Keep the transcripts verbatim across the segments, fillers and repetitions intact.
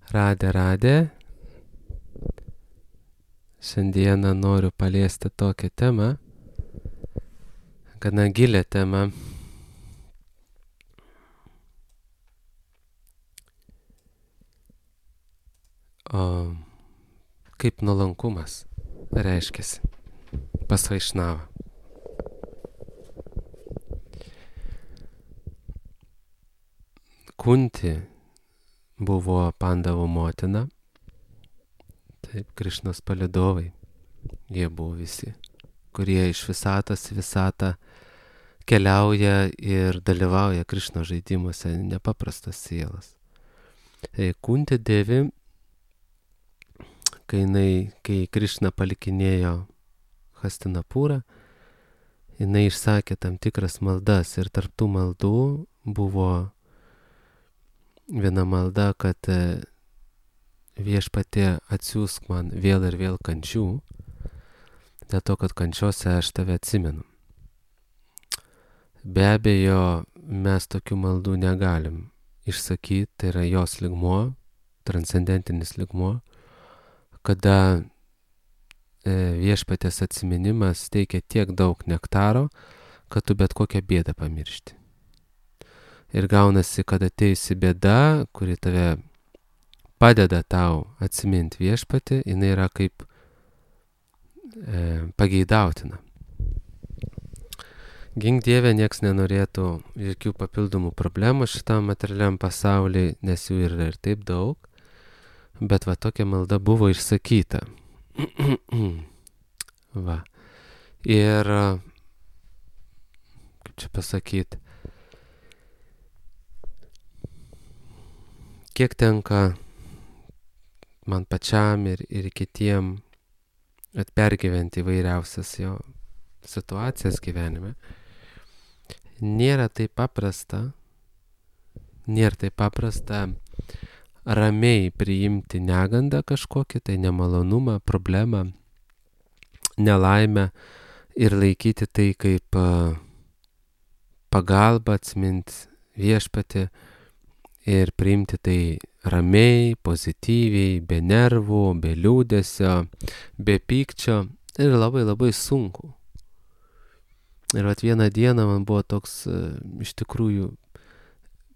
Radė, radė. Šiandieną noriu paliesti tokią temą, gana gilią temą. O kaip nuolankumas reiškiasi pas Vaišnavą. Kunti buvo Pandavų motina. Taip, Krišnos palydovai. Jie buvo visi, kurie iš visatos į visatą keliauja ir dalyvauja Krišno žaidimuose, nepaprastos sielos. Tai Kunti Devi, kai, jinai, kai Krišna palikinėjo Hastinapūrą, jinai išsakė tam tikras maldas ir tarp tų maldų buvo viena malda, kad viešpatie atsiųsk man vėl ir vėl kančių, dėl to, kad kančiose aš tave atsimenu. Be abejo, mes tokių maldų negalim išsakyti, tai yra jos lygmuo, transcendentinis lygmuo, kada viešpatės atsiminimas teikia tiek daug nektaro, kad tu bet kokią bėdą pamiršti. Ir gaunasi, kad ateisi bėda, kuri tave padeda tau atsiminti viešpatį, jinai yra kaip e, pageidautina. Gink Dieve, nieks nenorėtų jokių papildomų problemų šitam materialiam pasauliui, nes jų yra ir taip daug, bet va tokia malda buvo išsakyta. Va. Ir, kaip čia pasakyti, kiek tenka man pačiam ir, ir kitiem atpergyventi įvairiausias jo situacijas gyvenime, nėra taip paprasta, nėra taip paprasta ramiai priimti negandą kažkokį, tai nemalonumą, problemą, nelaimę ir laikyti tai kaip pagalbą, atsiminti viešpatį ir priimti tai ramiai, pozityviai, be nervų, be liūdesio, be pykčio ir labai labai sunku. Ir vat vieną dieną man buvo toks iš tikrųjų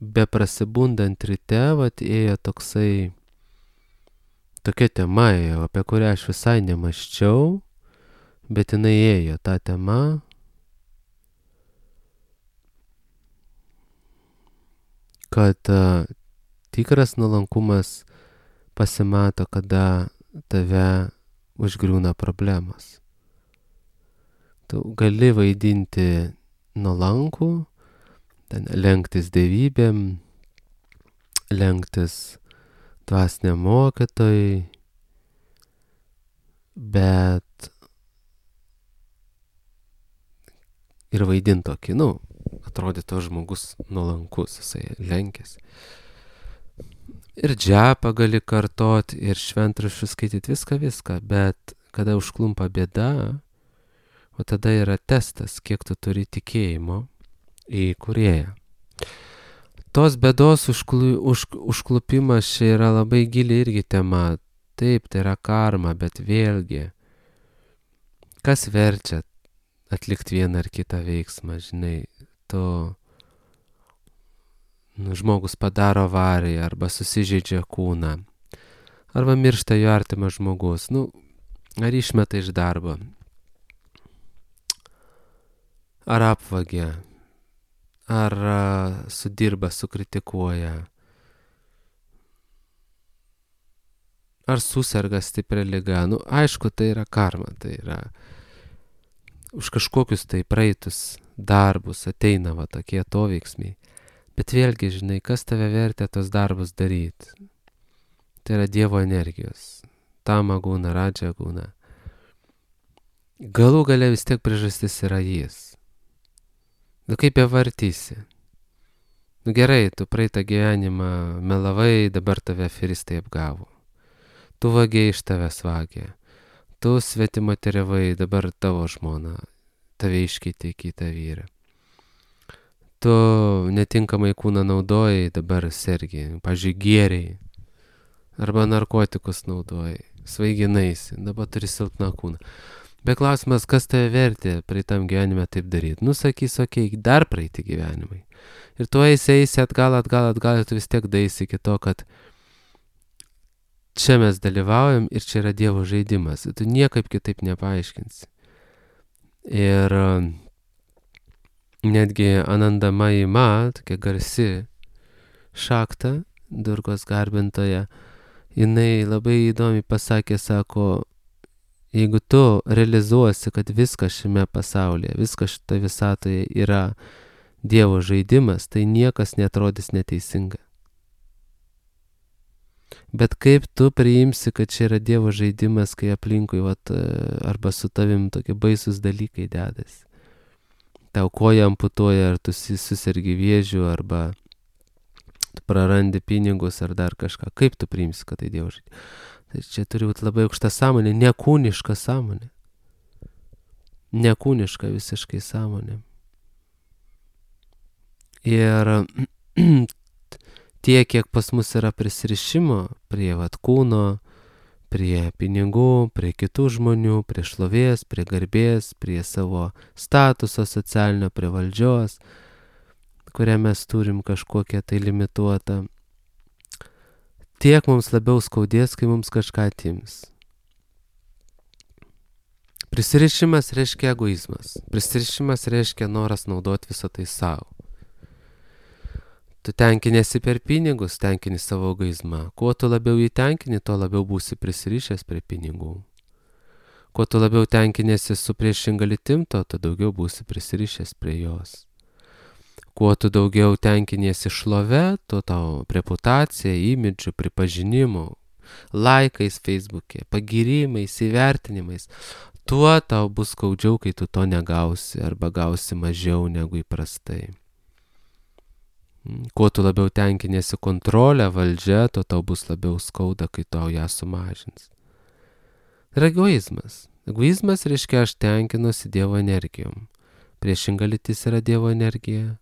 beprasibundant ryte, vat ėjo toksai, tokia tema ėjo, apie kurią aš visai nemaščiau, bet jinai ėjo ta tema. Kad uh, tikras nuolankumas pasimato, kada tave užgriūna problemos. Tu gali vaidinti nuolankų, lenktis dievybėm, lenktis dvasiniam mokytojui, bet ir vaidinti tokį, nu, atrodytų žmogus nuolankus, jisai lenkės. Ir džepą gali kartot, ir šventraščius skaityti, viską, viską, bet kada užklumpa bėda, o tada yra testas, kiek tu turi tikėjimo į kūrėją. Tos bėdos užklu, už, užklupimas čia yra labai gili irgi tema. Taip, tai yra karma, bet vėlgi, kas verčia atlikti vieną ar kitą veiksmą, žinai, tu, nu, žmogus padaro avariją, arba susižeidžia kūną, arba miršta jo artimas žmogus, nu, ar išmeta iš darbo, ar apvagia, ar uh, sudirba, sukritikuoja, ar suserga stipria liga. Nu, aišku, tai yra karma, tai yra už kažkokius tai praeitus darbus ateina va tokie atoveiksmiai. Bet vėlgi, žinai, kas tave vertė tos darbus daryti? Tai yra Dievo energijos. Tama guna, radža guna. Galų gale vis tiek priežastis yra jis. Nu kaip bevartysi? Nu gerai, tu praeitą gyvenimą melavai, dabar tave aferistai apgavo. Tu vagiai, iš tavęs vagė. Tu svetimoteriavai, dabar tavo žmona tave iškeitė į kitą vyrą. Tu netinkamai kūną naudojai, dabar sergi, pavyzdžiui, gėriai. arba narkotikus naudoji, svaiginaisi, dabar turi silpną kūną. Bet klausimas, kas tave vertė praeitam gyvenime taip daryti? Nu, sakys, okei, okay, dar praeiti gyvenimai. Ir tu eisi, eisi atgal, atgal, atgal, ir tu vis tiek daisi iki to, kad čia mes dalyvaujam ir čia yra Dievo žaidimas. Tu niekaip kitaip nepaaiškinsi. Ir netgi Anandamayi Ma, tokia garsi šakta, Durgos garbintoja, jinai labai įdomiai pasakė, sako, jeigu tu realizuosi, kad viskas šiame pasaulyje, viskas šitoje visatoje yra Dievo žaidimas, tai niekas netrodys neteisinga. Bet kaip tu priimsi, kad čia yra Dievo žaidimas, kai aplinkui, vat, arba su tavim tokie baisus dalykai dedasi. Tau koja amputuoja, ar tu susergi vėžiu, arba tu prarandi pinigus, ar dar kažką. Kaip tu priimsi, kad tai Dievo žaidimas? Tai čia turi būti labai aukšta sąmonė, nekūniška sąmonė. Nekūniška visiškai sąmonė. Ir tiek, kiek pas mus yra prisirišimo prie vat kūno, prie pinigų, prie kitų žmonių, prie šlovės, prie garbės, prie savo statuso socialinio, prie valdžios, kurią mes turim kažkokią tai limituotą, tiek mums labiau skaudės, kai mums kažką atims. Prisirišimas reiškia egoizmas. Prisirišimas reiškia noras naudoti visą tai savo. Tu tenkinėsi per pinigus, tenkini savo egoizmą. Kuo tu labiau jį tenkini, tuo labiau būsi prisirišęs prie pinigų. Kuo tu labiau tenkinėsi su priešinga lytim, tuo tu daugiau būsi prisirišęs prie jos. Kuo tu daugiau tenkiniesi šlove, tuo tau reputacija, imidžu, pripažinimu, laikais Facebook'e, pagyrimais, įvertinimais, tuo tau bus skaudžiau, kai tu to negausi arba gausi mažiau negu įprastai. Kuo tu labiau tenkinėsi kontrolę, valdžią, tuo tau bus labiau skauda, kai tau ją sumažins. Ir egoizmas. Egoizmas reiškia, aš tenkinuosi Dievo energijom. Priešinga lytis yra Dievo energija,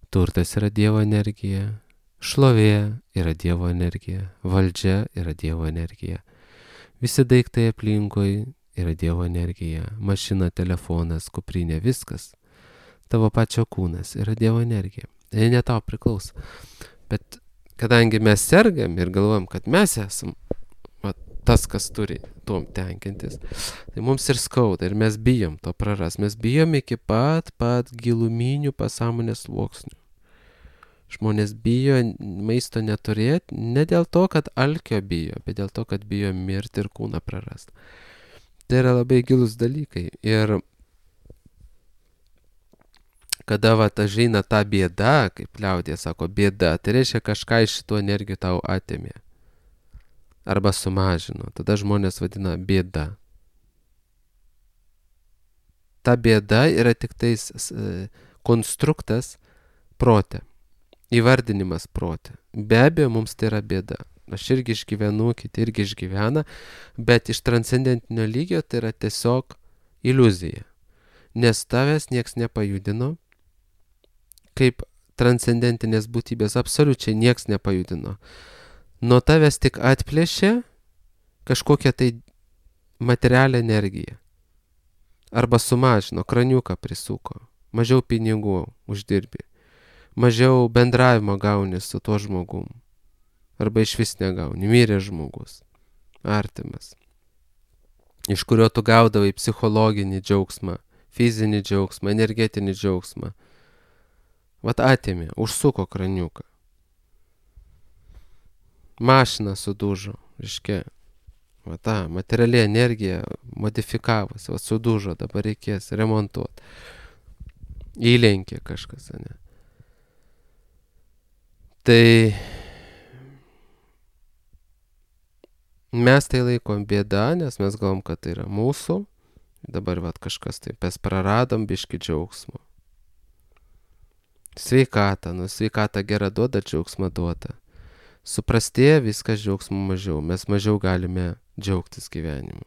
turtas yra Dievo energija, šlovė yra Dievo energija, valdžia yra Dievo energija. Visi daiktai aplinkui yra Dievo energija, mašina, telefonas, kuprinė, viskas. Tavo pačio kūnas yra Dievo energija. Tai ne tau priklauso. Bet kadangi mes sergam ir galvojam, kad mes esam va, tas, kas turi tuom tenkintis, tai mums ir skauda ir mes bijom to praras. Mes bijom iki pat, pat giluminių pasąmonės sluoksnių. Žmonės bijo maisto neturėti, ne dėl to, kad alkio bijo, bet dėl to, kad bijo mirti ir kūną prarasti. Tai yra labai gilus dalykai. Ir kada va ateina ta bėda, kaip liaudė sako, bėda, tai reiškia kažką iš šitų energijų tau atėmė. Arba sumažino. Tada žmonės vadina bėda. Ta bėda yra tik tais konstruktas prote. Įvardinimas prote. Be abejo, mums tai yra bėda. Aš irgi išgyvenu, kiti irgi išgyvena, bet iš transcendentinio lygio tai yra tiesiog iliuzija. Nes tavęs nieks nepajudino, kaip transcendentinės būtybės absoliučiai nieks nepajudino. Nuo tavęs tik atplėšė kažkokią tai materialią energiją. Arba sumažino, kraniuką prisuko, mažiau pinigų uždirbi, mažiau bendravimo gauni su tuo žmogum. Arba iš vis negauni, mirė žmogus, artimas, iš kurio tu gaudavai psichologinį džiaugsmą, fizinį džiaugsmą, energetinį džiaugsmą. Vat atėmė, užsuko kraniuką. Mašina sudužo, reiškia, va ta materiali energija modifikavosi, va sudužo, dabar reikės remontuoti. Įlenkė kažkas, ne? Tai mes tai laikom bėda, nes mes galvom, kad tai yra mūsų. Dabar vat kažkas taip, mes praradom biškį džiaugsmo. Sveikata, nu sveikata gera duoda, džiaugsmą duoda. Suprastėja viskas, džiaugsmo mažiau. Mes mažiau galime džiaugtis gyvenimu.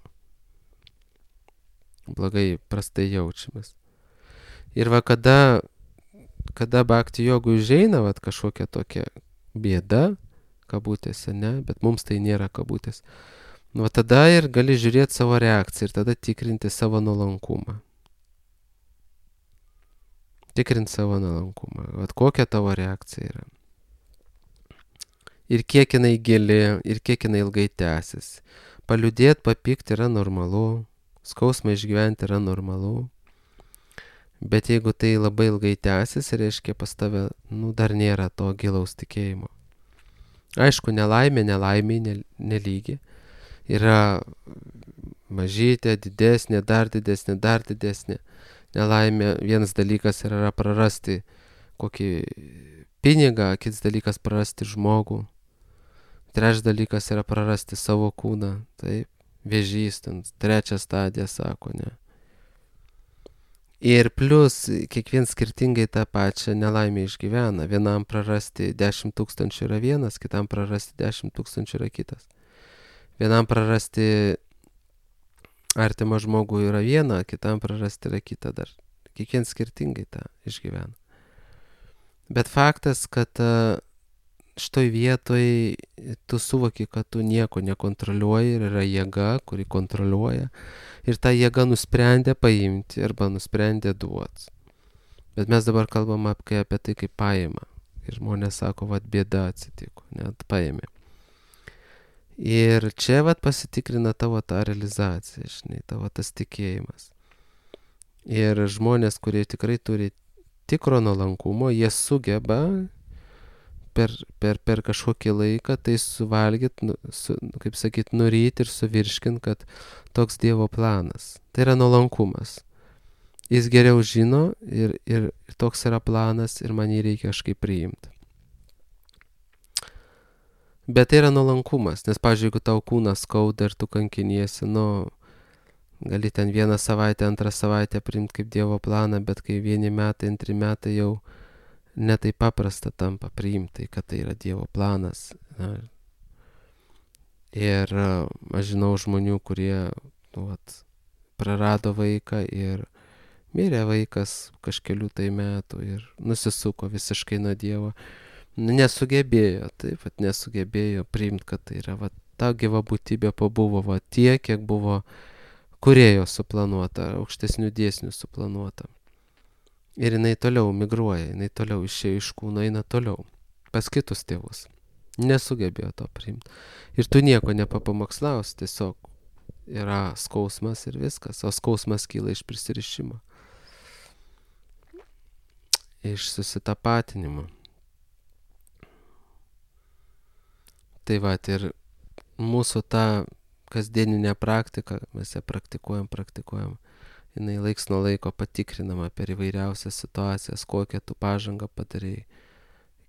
Blogai, prastai jaučiamės. Ir va kada, kada bhakti jogui užeina vat kažkokia tokia bėda, kabutėse, ne, bet mums tai nėra kabutės. Nu, tada ir gali žiūrėti savo reakciją ir tada tikrinti savo nuolankumą. Tikrinti savo nuolankumą. Vat kokia tavo reakcija yra. Ir kiek jinai gili, ir kiek jinai ilgai tęsis. Paliūdėti, papykti yra normalu, skausmą išgyventi yra normalu. Bet jeigu tai labai ilgai tęsis, reiškia pas tave, nu, dar nėra to gilaus tikėjimo. Aišku, nelaimė, nelaimė, nelygi. Yra mažytė, didesnė, dar didesnė, dar didesnė. Nelaimė, vienas dalykas yra prarasti kokį pinigą, kitas dalykas prarasti žmogų. Trečias dalykas yra prarasti savo kūną, taip, vėžys, trečia stadija, sako, ne. Ir plus, kiekvien skirtingai tą pačią nelaimę išgyvena. Vienam prarasti dešimt tūkstančių yra vienas, kitam prarasti dešimt tūkstančių yra kitas. Vienam prarasti artimą žmogų yra viena, kitam prarasti yra kita dar. Kiekvien skirtingai tą išgyvena. Bet faktas, kad šitoj vietoj tu suvoki, kad tu nieko nekontroliuoji ir yra jėga, kuri kontroliuoja. Ir ta jėga nusprendė paimti arba nusprendė duoti. Bet mes dabar kalbam apie, apie tai, kaip paima. Ir žmonės sako, vat bėda atsitiko, net paėmė. Ir čia vat pasitikrina tavo tą realizaciją, žinai, tavo tas tikėjimas. Ir žmonės, kurie tikrai turi tikro nuolankumo, jie sugeba per, per, per kažkokį laiką tai suvalgyti, nu, su, kaip sakyt, nuryti ir suvirškinti, kad toks Dievo planas. Tai yra nuolankumas. Jis geriau žino ir, ir toks yra planas ir man jį reikia kažkaip priimti. Bet tai yra nuolankumas, nes, pavyzdžiui, jeigu tau kūnas skauda ir tu kankiniesi, nu, gali ten vieną savaitę, antrą savaitę priimti kaip Dievo planą, bet kai vieni metai, antri metai jau netai paprasta tampa priimti, kad tai yra Dievo planas. Na. Ir aš žinau žmonių, kurie nu, vat, prarado vaiką ir mirė vaikas kažkelių tai metų ir nusisuko visiškai nuo Dievo. Nesugebėjo, taip, vat, nesugebėjo priimti, kad tai yra, vat, ta gyva būtybė pabuvo, vat, tiek, kiek buvo kūrėjo suplanuota, aukštesnių dėsnių suplanuota. Ir jinai toliau migruoja, jinai toliau išėjo iš kūno, eina toliau, pas kitus tėvus. Nesugebėjo to priimti. Ir tu nieko nepapamokslaus, tiesiog yra skausmas ir viskas, o skausmas kyla iš prisirišimo. Iš susitapatinimo. Tai va, ir mūsų tą kasdieninę praktiką, mes ją praktikuojam, praktikuojam, jinai laiks nuo laiko patikrinama per įvairiausias situacijas, kokią tu pažangą padarei,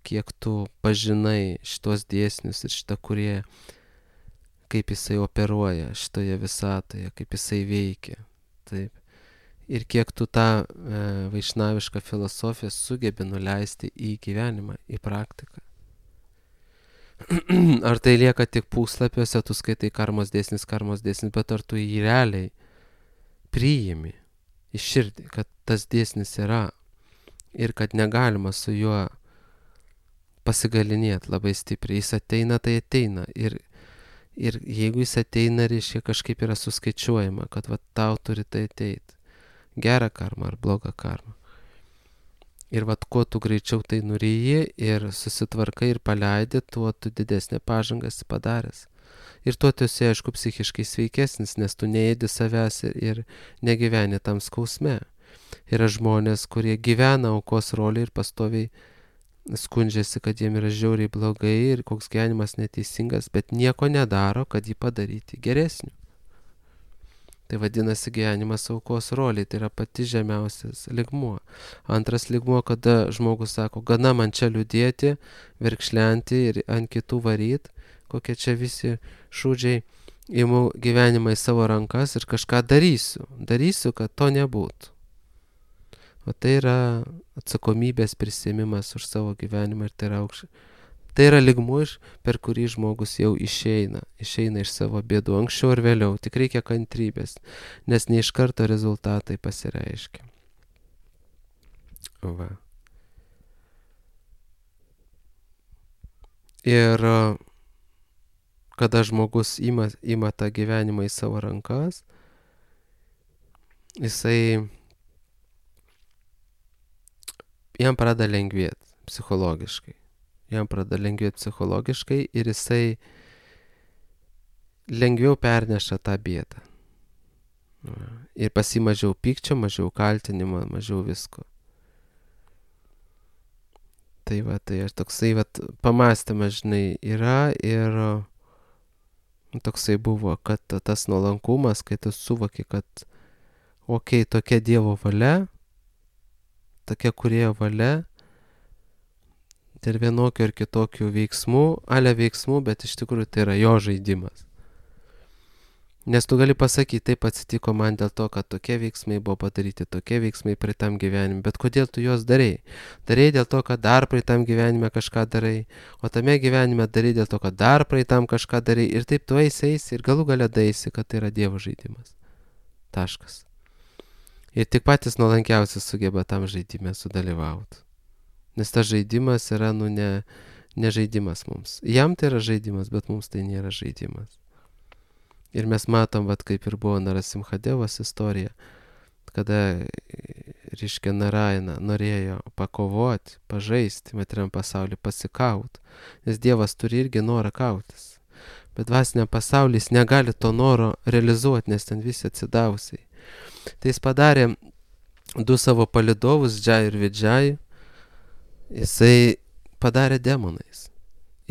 kiek tu pažinai šitos dėsnius ir šitą kūrėją, kaip jisai operuoja šitoje visatoje, kaip jisai veikia. Taip. Ir kiek tu tą e, vaišnavišką filosofiją sugebi nuleisti į gyvenimą, į praktiką. Ar tai lieka tik puslapiuose, tu skaitai karmos dėsnis, karmos dėsnis, bet ar tu jį realiai priimi į širdį, kad tas dėsnis yra ir kad negalima su juo pasigalinėti labai stipriai. Jis ateina, tai ateina. Ir, ir jeigu jis ateina, reiškia kažkaip yra suskaičiuojama, kad va, tau turi tai ateiti. Gerą karmą ar blogą karmą. Ir vat, kuo tu greičiau tai nuryji ir susitvarkai ir paleidi, tuo tu didesnę pažangą esi padaręs. Ir tuo tu esi, aišku, psichiškai sveikesnis, nes tu neėdi savęs ir, ir negyveni tam skausme. Yra žmonės, kurie gyvena aukos rolį ir pastoviai skundžiasi, kad jiem yra žiauriai blogai ir koks gyvenimas neteisingas, bet nieko nedaro, kad jį padaryti geresniu. Tai vadinasi gyvenimas aukos roliai, tai yra pati žemiausias lygmuo. Antras lygmuo, kada žmogus sako, gana man čia liūdėti, verkšlenti ir ant kitų varyt, kokie čia visi šūdžiai, imu gyvenimą į savo rankas ir kažką darysiu. Darysiu, kad to nebūtų. O tai yra atsakomybės prisiėmimas už savo gyvenimą ir tai yra aukščiau. Tai yra lygmuo, per kurį žmogus jau išeina, išeina iš savo bėdų, anksčiau ir vėliau, tik reikia kantrybės, nes ne iš karto rezultatai pasireiškia. Va. Ir kada žmogus ima, ima tą gyvenimą į savo rankas, jisai jam pradeda lengvėti psichologiškai. Jam pradeda lengvėti psichologiškai ir jisai lengviau perneša tą bėdą. Ir pasi mažiau pykčio, mažiau kaltinimo, mažiau visko. Tai va, tai aš toksai, va, pamąstymas, žinai, yra ir toksai buvo, kad tas nuolankumas, kai tu suvoki, kad okei, okay, tokia Dievo valia, tokia Kūrėjo valia, dėl vienokių ir kitokių veiksmų, ale veiksmų, bet iš tikrųjų tai yra jo žaidimas. Nes tu gali pasakyti, taip atsitiko man dėl to, kad tokie veiksmai buvo padaryti, tokie veiksmai praeitam gyvenime, bet kodėl tu juos darai? Darai dėl to, kad dar praeitam gyvenime kažką darai, o tame gyvenime darai dėl to, kad dar praeitam kažką darai ir taip tu eisi, eisi ir galų gale daisi, kad tai yra Dievo žaidimas. Taškas. Ir tik patys nuolankiausi sugeba tam žaidime sudalyvauti. Nes tas žaidimas yra, nu, ne, ne žaidimas mums. Jam tai yra žaidimas, bet mums tai nėra žaidimas. Ir mes matom, vat, kaip ir buvo Narasimhadevos istorija, kada, reiškia, Narayana norėjo pakovoti, pažaisti materiam pasauliu, pasikaut. Nes Dievas turi irgi norą kautis. Bet dvasiniam pasaulis negali to noro realizuoti, nes ten visi atsidavusiai. Tai jis padarė du savo palidovus, Džai ir Vidžai, jisai padarė demonais.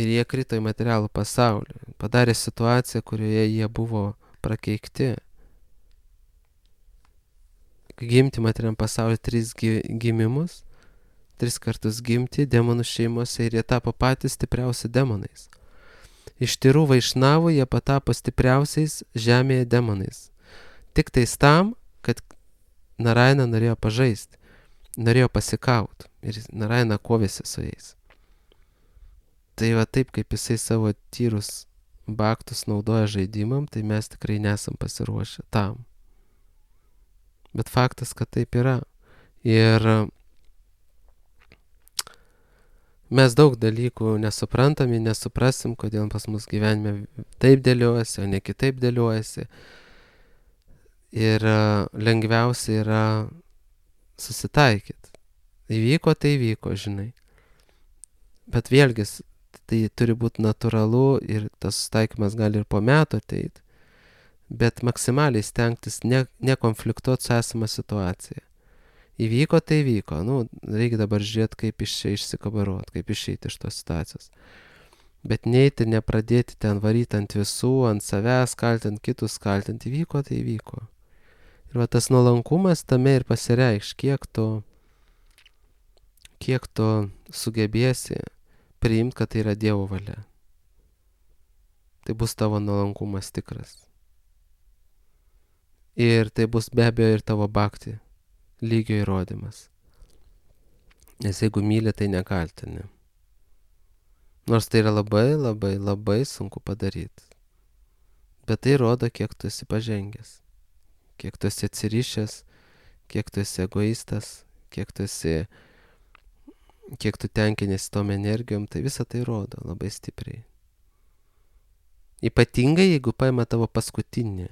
Ir jie krito į materialų pasaulį. Padarė situaciją, kurioje jie buvo prakeikti. Gimti materiam pasaulį tris gimimus, tris kartus gimti demonų šeimose ir jie tapo patys stipriausi demonais. Iš tyrų vaišnavų jie patapo stipriausiais žemėje demonais. Tik tais tam, kad Narayana norėjo pažaisti, norėjo pasikauti ir Narayana kovėsi su jais. Tai va taip, kaip jisai savo tyrus baktus naudoja žaidimam, tai mes tikrai nesam pasiruošę tam. Bet faktas, kad taip yra. Ir mes daug dalykų nesuprantam ir nesuprasim, kodėl pas mus gyvenime taip dėliojasi, o ne kitaip dėliojasi. Ir lengviausia yra susitaikyti. Įvyko, tai įvyko, žinai. Bet vėlgi, tai turi būti natūralu ir tas susitaikymas gali ir po metų ateiti. Bet maksimaliai stengtis ne, nekonfliktuoti su esama situacija. Įvyko, tai įvyko. Nu, reikia dabar žiūrėti, kaip iš čia išsikabaruoti, kaip išeiti iš tos situacijos. Bet neiti, nepradėti ten varyti ant visų, ant savęs, kaltinti kitus, kaltinti. Įvyko, tai įvyko. Ir va tas nuolankumas tame ir pasireikš, kiek tu, kiek tu sugebėsi priimti, kad tai yra Dievo valia. Tai bus tavo nuolankumas tikras. Ir tai bus be abejo ir tavo bhakti lygio įrodymas. Nes jeigu myli, tai nekaltini. Nors tai yra labai, labai, labai sunku padaryti. Bet tai rodo, kiek tu esi pažengęs. Kiek tu esi atsirišęs, kiek tu esi egoistas, kiek tu esi, kiek tu tenkinėsi tom energijom, tai visą tai rodo labai stipriai. Ypatingai, jeigu paima tavo paskutinį.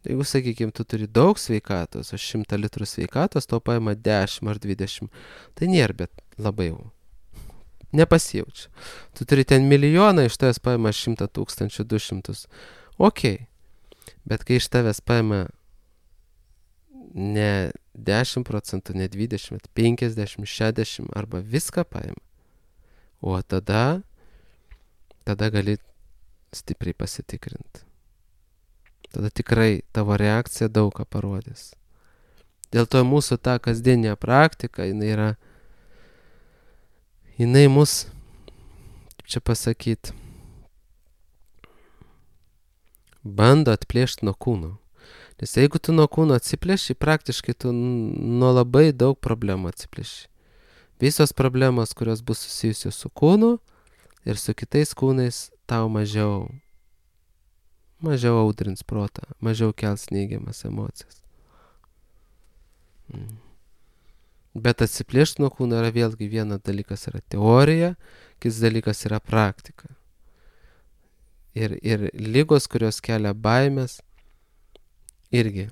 Jeigu, sakykime, tu turi daug sveikatos, o šimtą litrų sveikatos, to paima dešimt ar dvidešimt, tai nėra, bet labai jau. Nepasijaučia. Tu turi ten milijoną, iš tavęs paima šimtą tūkstančių, du šimtus. Okei. Bet kai iš tavęs paima ne dešimt procentų, ne dvidešimt, bet penkiasdešimt, šešiasdešimt arba viską paima, o tada, tada gali stipriai pasitikrinti. Tada tikrai tavo reakcija daug ką parodys. Dėl to mūsų ta kasdienė praktika, jinai yra, jinai mus, kaip čia pasakyti, bando atplėšti nuo kūno. Nes jeigu tu nuo kūno atsiplėši, praktiškai tu nuo labai daug problemų atsiplėši. Visos problemos, kurios bus susijusios su kūnu ir su kitais kūnais, tau mažiau, mažiau audrins protą, mažiau kels neigiamas emocijas. Mm. Bet atsiplėšti nuo kūno yra vėlgi vienas dalykas yra teorija, kitas dalykas yra praktika. Ir, ir lygos, kurios kelia baimės, irgi,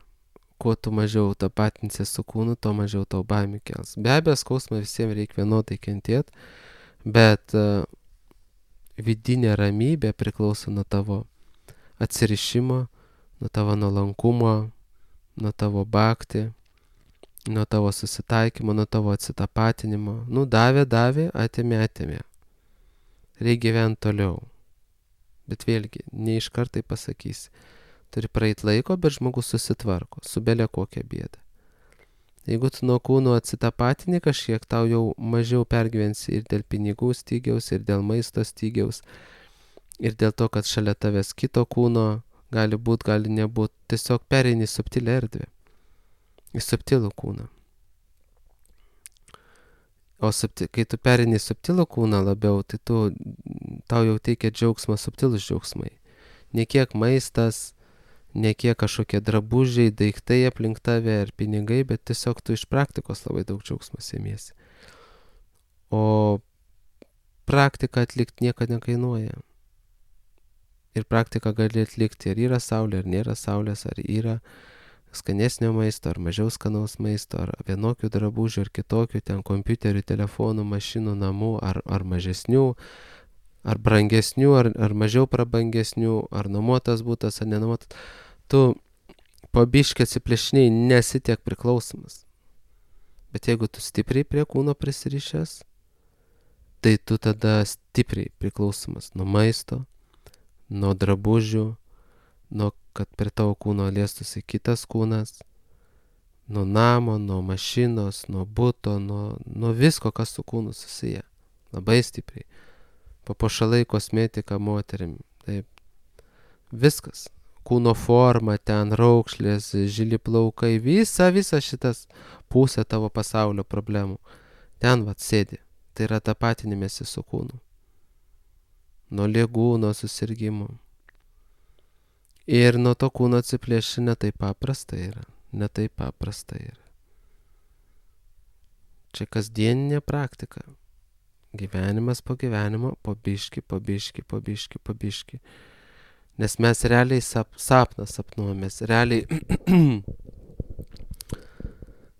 kuo tu mažiau tapatinsi su kūnu, tuo mažiau tau baimių kels. Be abejo, skausmą visiems reikia vienodai kentėti, bet uh, vidinė ramybė priklauso nuo tavo atsirišimo, nuo tavo nuolankumo, nuo tavo bhakti, nuo tavo susitaikymo, nuo tavo atsitapatinimo. Nu, davė, davė, atėmė, atėmė. Reikia gyventi toliau. Bet vėlgi, ne iš kartai pasakysi. Turi praeit laiko, bet žmogus susitvarko, su belė kokią bėdą. Jeigu tu nuo kūno atsitapatini kažkiek, tau jau mažiau pergyvensi ir dėl pinigų stygiaus, ir dėl maisto stygiaus, ir dėl to, kad šalia tavęs kito kūno gali būt, gali nebūt. Tiesiog pereini subtilę erdvę, į subtilų kūną. O subti, kai tu perini subtilų kūną labiau, tai tu, tau jau teikia džiaugsmą subtilus džiaugsmai. Ne kiek maistas, ne kiek kažkokie drabužiai, daiktai aplink tave ar pinigai, bet tiesiog tu iš praktikos labai daug džiaugsmo sėmiesi. O praktiką atlikti niekada nekainuoja. Ir praktiką gali atlikti, ar yra saulė, ar nėra saulės, ar yra skanesnio maisto, ar mažiau skanaus maisto, ar vienokių drabužių, ar kitokių, ten kompiuterių, telefonų, mašinų, namų, ar, ar mažesnių, ar brangesnių, ar, ar mažiau prabangesnių, ar nuomotas būtas, ar nenuomotas. Tu po biškį atsiplėšiniai nesi tiek priklausomas. Bet jeigu tu stipriai prie kūno prisirišęs, tai tu tada stipriai priklausomas nuo maisto, nuo drabužių, nuo kad prie tavo kūno liestųsi kitas kūnas, nuo namo, nuo mašinos, nuo buto, nuo, nuo visko, kas su kūnu susiję. Labai stipriai. Papuošalai, kosmetika moterim. Taip. Viskas. Kūno forma, ten raukšlės, žili plaukai, visa, visa šitas pusė tavo pasaulio problemų. Ten vat sėdi. Tai yra tapatinimėsi su kūnu. Nuo ligų, nuo susirgymų. Ir nuo to kūno atsiplėšti ne taip paprasta yra. Ne taip paprasta yra. Čia kasdieninė praktika. Gyvenimas po gyvenimo, po biški, po biški, po biški, po biški. Nes mes realiai sap, sapną sapnuomės. Realiai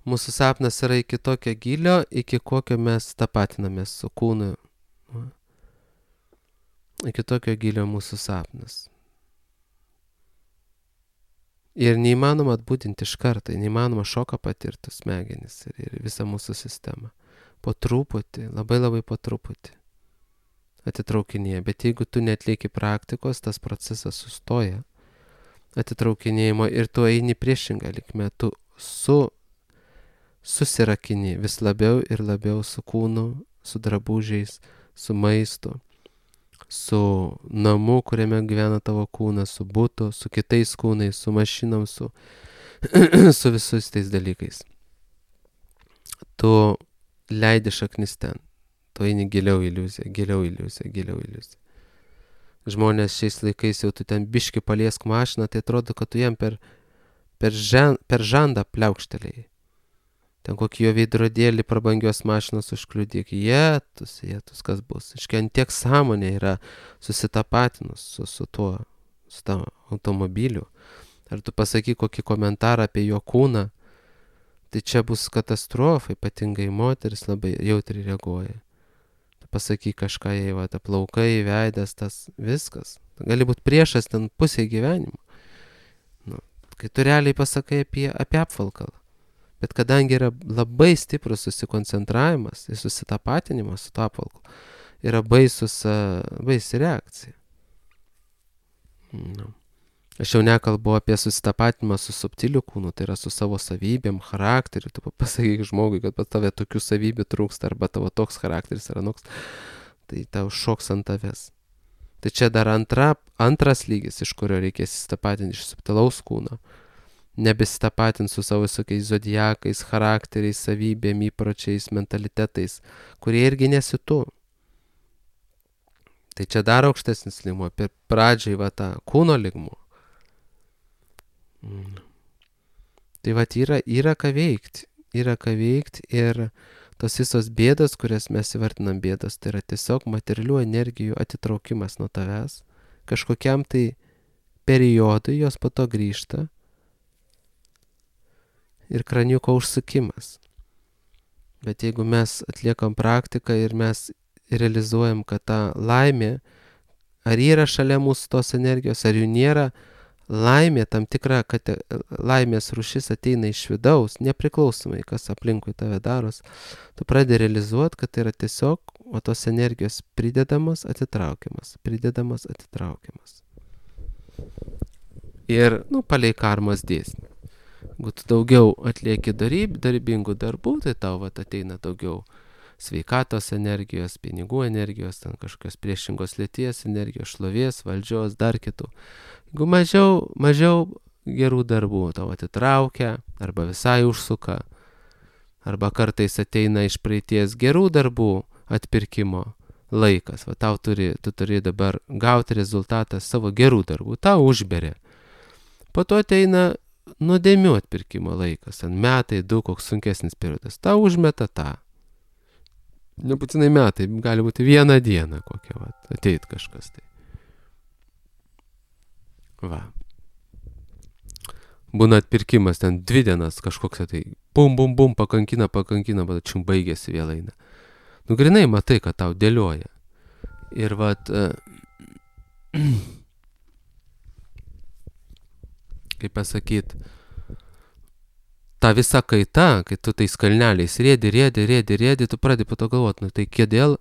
mūsų sapnas yra iki tokio gilio, iki kokio mes tapatinamės su kūnu. Iki tokio gilio mūsų sapnas. Ir neįmanoma atbūdinti iš karto, neįmanoma šoką patirti smegenis ir, ir visą mūsų sistemą. Po truputį, labai labai po truputį atitraukinėja. Bet jeigu tu netlieki praktikos, tas procesas sustoja atitraukinėjimo ir tu eini priešingą linkmę. Tu su, susirakini vis labiau ir labiau su kūnu, su drabužiais, su maistu, su namu, kuriame gyvena tavo kūnas, su butu, su kitais kūnais, su mašinom, su, su visais tais dalykais. Tu leidi šaknis ten, tu eini giliau iliuziją, giliau iliuziją, giliau iliuziją. Žmonės šiais laikais jau tu ten biški paliesk mašiną, tai atrodo, kad tu jam per, per, žen, per žandą pliaukštelėjai. Ten kokį jo veidrodėlį prabangios mašinos užkliudyk. Jėtus, jėtus, kas bus. Iškiant tiek sąmonė yra susitapatinus su, su tuo, su tavo automobiliu. Ar tu pasakyk kokį komentarą apie jo kūną, tai čia bus katastrofa, ypatingai moteris labai jautriai reaguoja. Tu pasakyk kažką, jei va, ta plaukai, veidas, tas viskas. Gali būti priešas ten pusė gyvenimo. Nu, kai tu realiai pasakai apie, apie apvalkalą. Bet kadangi yra labai stiprus susikoncentravimas ir susitapatinimas su to apvalkalu, yra baisus, baisi reakcija. No. Aš jau nekalbu apie susitapatinimą su subtiliu kūnu, tai yra su savo savybėm, charakteriu. Tu pasakyk žmogui, kad pas tave tokių savybių trūksta, arba tavo toks charakteris yra noks, tai tau šoks ant tavęs. Tai čia dar antra, antras lygis, iš kurio reikės susitapatinti iš subtilaus kūno. Nebesitapatint su savo visokiais zodiakais, charakteriais, savybėm, įpročiais, mentalitetais, kurie irgi nesi tu. Tai čia dar aukštesnis lygmuo, per pradžiai va tą kūno lygmuo. Mm. Tai va yra, yra ką veikti, yra ką veikti ir tos visos bėdos, kurias mes įvardinam bėdos, tai yra tiesiog materialių energijų atitraukimas nuo tavęs, kažkokiam tai periodui, jos po to grįžta ir kraniuko užsukimas. Bet jeigu mes atliekam praktiką ir mes realizuojam, kad ta laimė, ar yra šalia mūsų tos energijos, ar jų nėra, laimė, tam tikra, kad laimės rūšis ateina iš vidaus, nepriklausomai, kas aplinkui tave daros, tu pradedi realizuoti, kad tai yra tiesiog, o tos energijos pridedamas, atitraukiamas, pridedamas, atitraukiamas. Ir, nu, palei karmos dėsnį. Jeigu tu daugiau atlieki daryb, darybingų darbų, tai tau vat, ateina daugiau sveikatos energijos, pinigų energijos, ten kažkokios priešingos lyties energijos, šlovės, valdžios, dar kitų. Jeigu mažiau, mažiau gerų darbų tau atitraukia, arba visai užsuka, arba kartais ateina iš praeities gerų darbų atpirkimo laikas, va tau turi, tu turi dabar gauti rezultatą savo gerų darbų, tau užberia. Po to ateina nuodėmių atpirkimo laikas, ant metai, du, koks sunkesnis periodas, tau užmeta tą. Nebūtinai metai, gali būti vieną dieną kokią, va, ateit kažkas tai. Va. Būna atpirkimas ten dvi dienas kažkoks tai, bum, bum, bum, pakankina, pakankina, bet čium baigėsi vėl eina. Nu, grinai matai, kad tau dėlioja. Ir vat, kaip pasakyt, ta visa kaita, kai tu tais kalneliais rėdi, rėdi, rėdi, rėdi, tu pradedi po to galvoti, nu tai kodėl,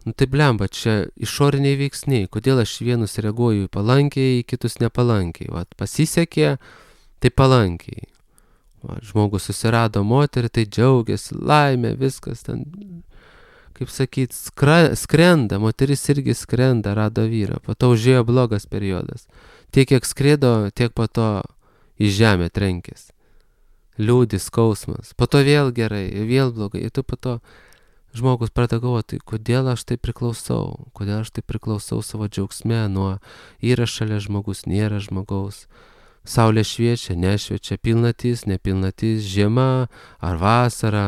nu tai blemba, čia išoriniai veiksniai, kodėl aš vienus reaguoju palankiai, kitus nepalankiai. Vat, pasisekė, tai palankiai. Vat, žmogus susirado moterį, tai džiaugiasi, laimė, viskas ten, kaip sakyt, skra, skrenda, moteris irgi skrenda, rado vyrą, po to užėjo blogas periodas. Tiek, kiek skrėdo, tiek po to į žemę trenkės. Liūdis, skausmas, po to vėl gerai, vėl blogai, ir tu po to žmogus pradeda galvoti, kodėl aš tai priklausau, kodėl aš tai priklausau savo džiaugsme, nuo yra šalia žmogus, nėra žmogaus, saulė šviečia, nešviečia, pilnatis, nepilnatis, žiema ar vasara,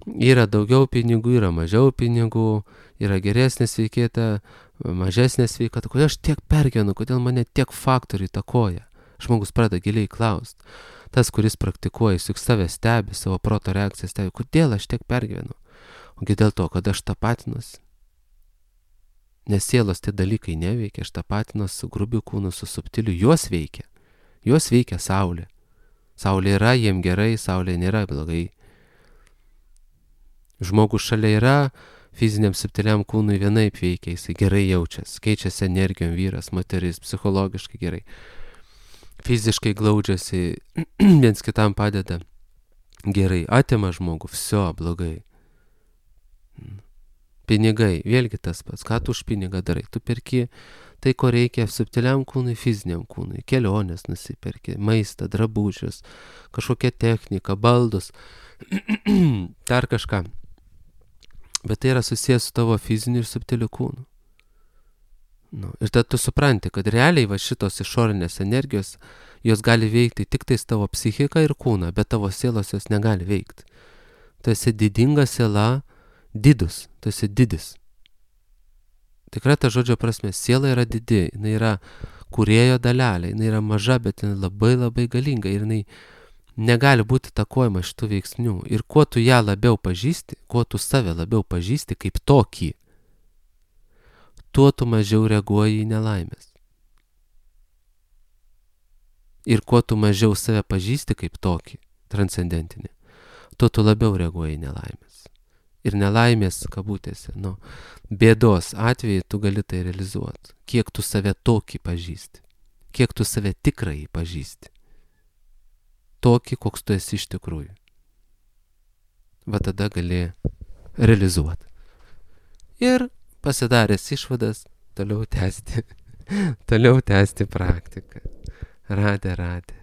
yra daugiau pinigų, yra mažiau pinigų, yra geresnė sveikata, mažesnė sveikata, kodėl aš tiek pergyvenu, kodėl mane tiek faktorių įtakoja. Žmogus pradeda giliai klausti. Tas, kuris praktikuoja, juk save stebi, savo proto reakciją stebi, kodėl aš tiek pergyvenu. Ogi dėl to, kad aš tapatinuosi. Nes sielos tie dalykai neveikia, aš tapatinuosi su grubiu kūnu, su subtiliu, juos veikia. Juos veikia saulė. Saulė yra, jiem gerai, saulė nėra blogai. Žmogus šalia yra, fiziniam subtiliam kūnui vienaip veikia, jisai gerai jaučiasi, keičiasi energijom vyras, moteris, psichologiškai gerai. Fiziškai glaudžiasi, viens kitam padeda gerai, atima žmogų, viso blogai. Pinigai, vėlgi tas pats, ką tu už pinigą darai, tu perki tai, ko reikia subtiliam kūnui, fiziniam kūnui, kelionės nusiperki, maistą, drabužius, kažkokią techniką, baldus, dar kažką. Bet tai yra susijęs su tavo fiziniu ir subtiliu kūnu. Nu, ir tada tu supranti, kad realiai va šitos išorinės energijos, jos gali veikti tik tais tavo psichiką ir kūną, bet tavo sielos jos negali veikti. Tu esi didinga siela, didus, tu esi didis. Tikrai ta žodžio prasme, siela yra didi, jinai yra kūrėjo dalelė, jinai yra maža, bet jinai labai labai galinga ir jinai negali būti takojama šitų veiksnių. Ir kuo tu ją labiau pažįsti, kuo tu save labiau pažįsti kaip tokį, tuo tu mažiau reaguoji į nelaimės. Ir kuo tu mažiau save pažįsti kaip tokį, transcendentinį, tuo tu labiau reaguoji į nelaimės. Ir nelaimės, kabutėse, nu, bėdos atveju tu gali tai realizuoti. Kiek tu save tokį pažįsti, kiek tu save tikrai pažįsti. Tokį, koks tu esi iš tikrųjų. Va tada gali realizuoti. Ir pasidaręs išvadas, toliau tęsti, toliau tęsti praktiką. Radė, radė.